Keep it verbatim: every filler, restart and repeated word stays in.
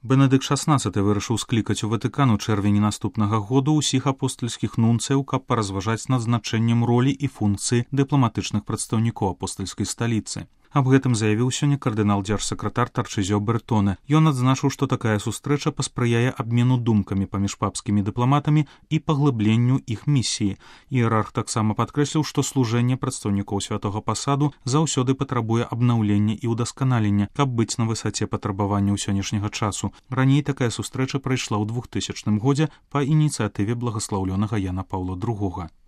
Бенедыкт шаснаццаты вырашыў склікаць у Ватыкан у чэрвені наступнага году ўсіх апостальскіх нунцыяў, каб паразважаць над значэннем ролі і функцыі дыпламатычных прадстаўнікоў апостальскай сталіцы. Аб гэтым заявіў сёння кардынал-дзяржсакратар Тарчызё Бертоне. Ён адзначыў, што такая сустрэча паспрыяе абмену думкамі паміж папскімі дыпламатамі і паглыбленню іх місіі. Іерарх таксама падкрэсліў, што служэнне прадстаўнікоў святога пасаду заўсёды патрабуе абнаўлення і ўдасканалення, каб быць на высаце патрабаванняў сённяшняга часу. Раней такая сустрэча прайшла ў двухтысячным годзе па ініцыятыве благаслаўлёнага Яна Паўла другога.